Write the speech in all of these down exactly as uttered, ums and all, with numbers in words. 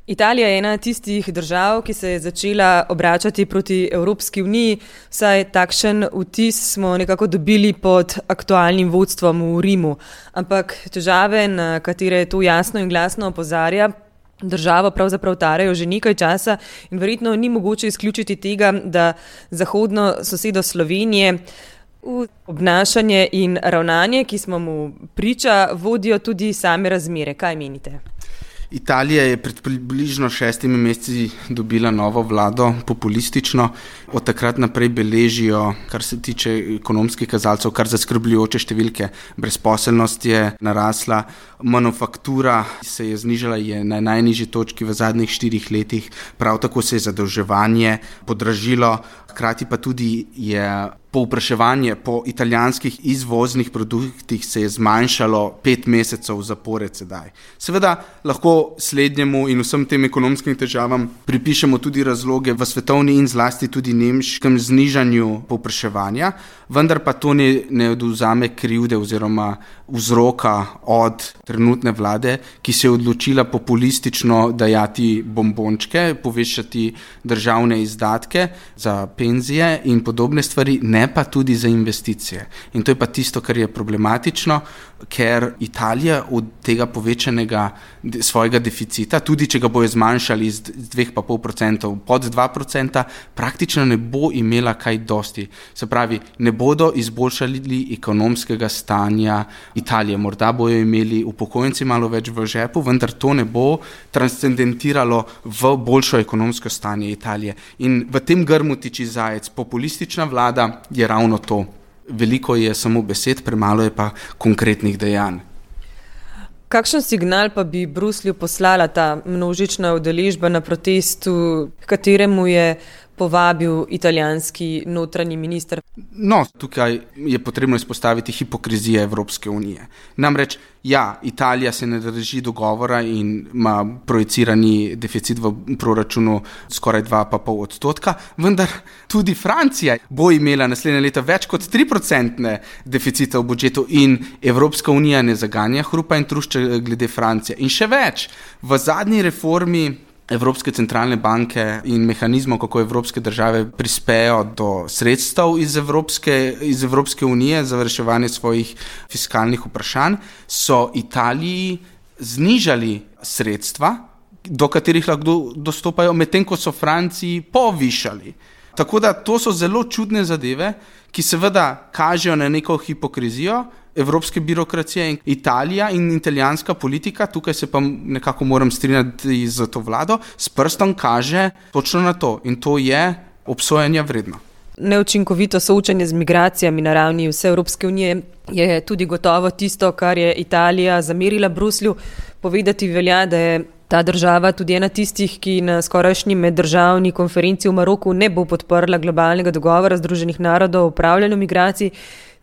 Italija je ena tistih držav, ki se je začela obračati proti Evropski uniji, saj takšen vtis smo nekako dobili pod aktualnim vodstvom v Rimu. Ampak težave, na katere to jasno in glasno opozarja, državo pravzaprav tarajo že nekaj časa in verjetno ni mogoče izključiti tega, da zahodno sosedo Slovenije v obnašanje in ravnanje, ki smo mu priča, vodijo tudi same razmere. Kaj menite? Italija je pred približno šestimi meseci dobila novo vlado, populistično. Od takrat naprej beležijo, kar se tiče ekonomskih kazalcev, kar zaskrbljujoče številke. Brezposelnost je narasla, manufaktura se je znižala, je na najnižji točki v zadnjih štirih letih, prav tako se je zadolževanje podražilo, hkrati pa tudi je povpraševanje po italijanskih izvoznih produktih se je zmanjšalo pet mesecev zapored sedaj. Seveda lahko slednjemu in vsem tem ekonomskim težavam pripišemo tudi razloge v svetovni in zlasti tudi nemškem znižanju povpraševanja, vendar pa to ne, ne odvzame krivde oziroma vzroka od trenutne vlade, ki se je odločila populistično dajati bombončke, povečati državne izdatke za penzije in podobne stvari, ne pa tudi za investicije. In to je pa tisto, kar je problematično, ker Italija od tega povečanega svojega deficita, tudi če ga bojo zmanjšali z dveh pa pol procentov pod dva procenta, praktično ne bo imela kaj dosti. Se pravi, ne bodo izboljšali ekonomskega stanja Italije. Morda bojo imeli upokojenci malo več v žepu, vendar to ne bo transcendentiralo v boljšo ekonomsko stanje Italije. In v tem grmu tiči zajec. Populistična vlada je ravno to. Veliko je samo besed, premalo je pa konkretnih dejanj. Kakšen signal pa bi Bruslju poslala ta množična udeležba na protestu, kateremu je povabil italijanski notranji minister? No, tukaj je potrebno izpostaviti hipokrizije Evropske unije. Namreč, ja, Italija se ne drži dogovora in ima projicirani deficit v proračunu skoraj dva pa pol odstotka, vendar tudi Francija bo imela naslednje leto več kot tri procentne deficita v budžetu in Evropska unija ne zaganja hrupa in trušča glede Francije. In še več, v zadnji reformi Evropske centralne banke in mehanizmov, kako evropske države prispejo do sredstev iz Evropske, iz Evropske unije za reševanje svojih fiskalnih vprašanj, so Italiji znižali sredstva, do katerih lahko dostopajo, medtem ko so Franciji povišali. Tako da to so zelo čudne zadeve, ki seveda kažejo na neko hipokrizijo evropske birokracije in Italija in italijanska politika, tukaj se pa nekako moram strinjati z to vlado, s prstom kaže točno na to in to je obsojanja vredno. Neučinkovito soočanje z migracijami na ravni vse Evropske unije je tudi gotovo tisto, kar je Italija zamerila Bruslju. Povedati velja, da je ta država tudi ena tistih, ki na skorajšnji meddržavni konferenci v Maroku ne bo podprla globalnega dogovora Združenih narodov o upravljanju migracij.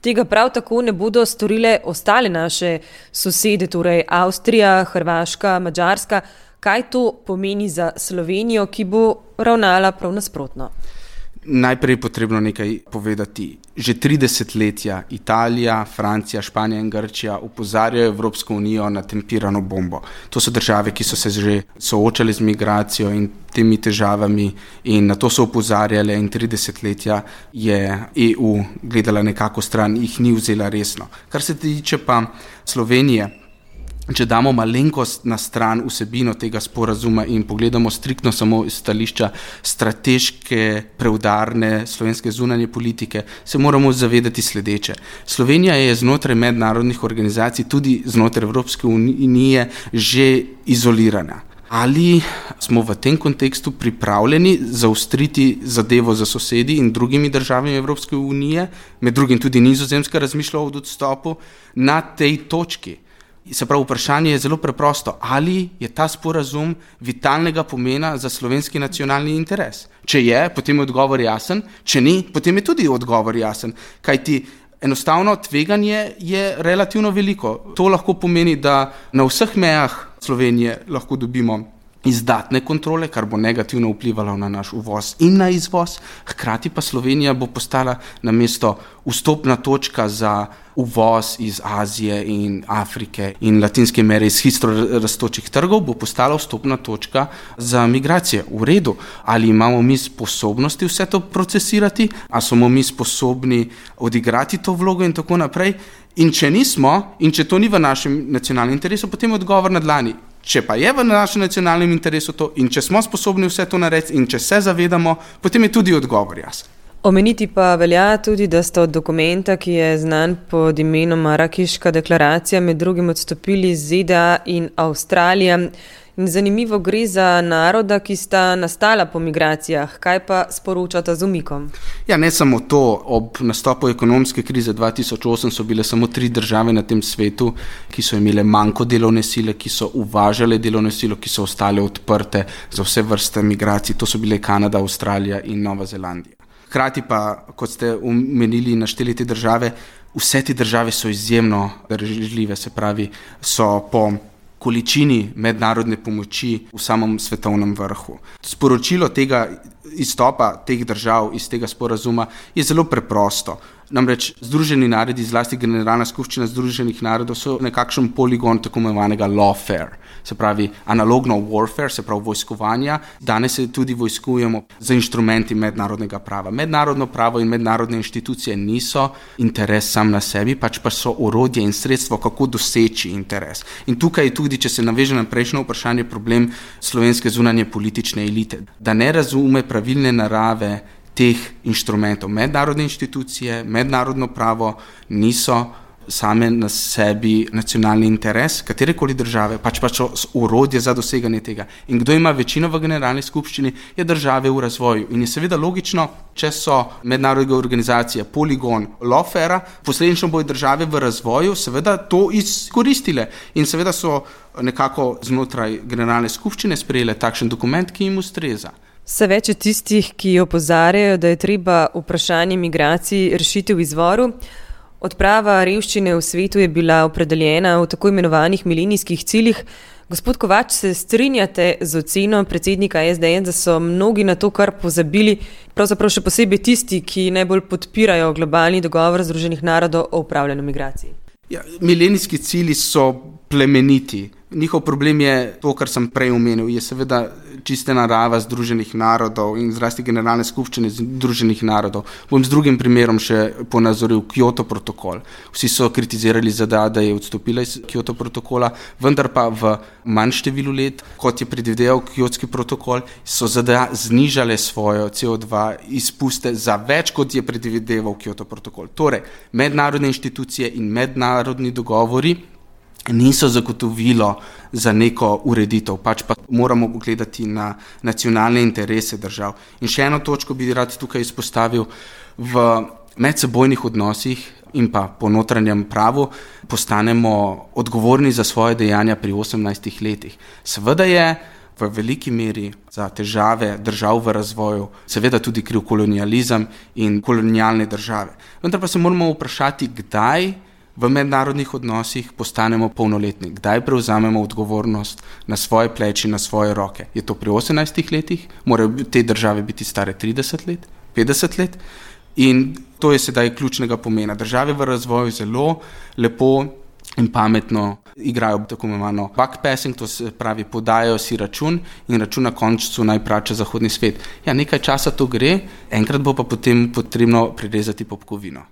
Tega prav tako ne bodo storile ostale naše sosede, torej Avstrija, Hrvaška, Madžarska. Kaj to pomeni za Slovenijo, ki bo ravnala prav nasprotno? Najprej je potrebno nekaj povedati. Že tri desetletja Italija, Francija, Španija in Grčija opozarjajo Evropsko unijo na tempirano bombo. To so države, ki so se že soočale z migracijo in temi težavami in na to so opozarjale in tri desetletja je E U gledala nekako stran, jih ni vzela resno. Kar se tiče pa Slovenije, če damo malenkost na stran vsebino tega sporazuma in pogledamo striktno samo iz stališča strateške, preudarne slovenske zunanje politike, se moramo zavedati sledeče. Slovenija je znotraj mednarodnih organizacij, tudi znotraj Evropske unije, že izolirana. Ali smo v tem kontekstu pripravljeni zaostriti zadevo za sosedi in drugimi državami Evropske unije, med drugim tudi Nizozemska razmišlja o odstopu, na tej točki? Se pravi, vprašanje je zelo preprosto. Ali je ta sporazum vitalnega pomena za slovenski nacionalni interes? Če je, potem je odgovor jasen. Če ni, potem je tudi odgovor jasen. Kajti enostavno tveganje je relativno veliko. To lahko pomeni, da na vseh mejah Slovenije lahko dobimo izdatne kontrole, kar bo negativno vplivalo na naš uvoz in na izvoz. Hkrati pa Slovenija bo postala namesto vstopna točka za uvoz iz Azije in Afrike in Latinske Amerike, iz hitro rastočih trgov, bo postala vstopna točka za migracije. V redu, ali imamo mi sposobnosti vse to procesirati, ali smo mi sposobni odigrati to vlogo in tako naprej. In če nismo, in če to ni v našem nacionalnem interesu, potem je odgovor na dlani. Če pa je v našem nacionalnem interesu to in če smo sposobni vse to narediti in če se zavedamo, potem je tudi odgovor jasen. Omeniti pa velja tudi, da sta od dokumenta, ki je znan pod imenom Marakiška deklaracija, med drugim odstopili Z D A in Avstralija. In zanimivo, gre za naroda, ki sta nastala po migracijah. Kaj pa sporočata z umikom? Ja, ne samo to. Ob nastopu ekonomske krize dva tisoč osem so bile samo tri države na tem svetu, ki so imele manjko delovne sile, ki so uvažale delovne silo, ki so ostale odprte za vse vrste migracij. To so bile Kanada, Avstralija in Nova Zelandija. Hkrati pa, kot ste omenili, našteli te države, vse te države so izjemno darežljive, se pravi, so po količini mednarodne pomoči v samem svetovnem vrhu. Sporočilo tega izstopa teh držav iz tega sporazuma je zelo preprosto. Namreč Združeni narodi, zlasti Generalna skupščina Združenih narodov, so nekakšen poligon tako imenovanega lawfare, se pravi analogno warfare, se pravi vojskovanja. Danes se tudi vojskujemo za inštrumenti mednarodnega prava. Mednarodno pravo in mednarodne inštitucije niso interes sam na sebi, pač pa so orodje in sredstvo, kako doseči interes. In tukaj je tudi, če se naveže na prejšnje vprašanje, problem slovenske zunanje politične elite, da ne razume pravilne narave teh inštrumentov. Mednarodne inštitucije, mednarodno pravo niso same na sebi nacionalni interes katerekoli države, pač pa so orodje za doseganje tega. In kdo ima večino v Generalni skupščini, je države v razvoju. In je seveda logično, če so mednarodne organizacije poligon lawfare, posledično bodo države v razvoju seveda to izkoristile. In seveda so nekako znotraj Generalne skupščine sprejele takšen dokument, ki jim ustreza. Vse več je tistih, ki opozarjajo, da je treba vprašanje migracij rešiti v izvoru. Odprava revščine v svetu je bila opredeljena v tako imenovanih milenijskih ciljih. Gospod Kovač, se strinjate z oceno predsednika S D S, da so mnogi na to kar pozabili, pravzaprav še posebej tisti, ki najbolj podpirajo globalni dogovor Združenih narodov o upravljanju migracij? Ja, milenijski cilji so plemeniti. Njihov problem je to, kar sem prej omenil, je seveda čiste narava Združenih narodov in zlasti Generalne skupščine Združenih narodov. Bom z drugim primerom še ponazoril Kyoto protokol. Vsi so kritizirali Z D A, da je odstopila iz Kyoto protokola, vendar pa v manj številu let, kot je predvideval Kyotski protokol, so Z D A znižale svojo C O dva izpuste za več, kot je predvideval Kyoto protokol. Torej, mednarodne inštitucije in mednarodni dogovori niso zagotovilo za neko ureditev, pač pa moramo gledati na nacionalne interese držav. In še eno točko bi rad tukaj izpostavil, v medsebojnih odnosih in pa po notranjem pravu postanemo odgovorni za svoje dejanja pri osemnajstih letih. Seveda je v veliki meri za težave držav v razvoju seveda tudi kriv kolonializem in kolonialne države. Vendar pa se moramo vprašati, kdaj v mednarodnih odnosih postanemo polnoletni, kdaj prevzamemo odgovornost na svoje pleči, na svoje roke. Je to pri osemnajstih letih? Morajo te države biti stare trideset let, petdeset let? In to je sedaj ključnega pomena. Države v razvoju zelo lepo in pametno igrajo tako imenovano backpassing, to se pravi podajajo si račun in račun na koncu naj plača zahodni svet. Ja, nekaj časa to gre, enkrat bo pa potem potrebno prirezati popkovino.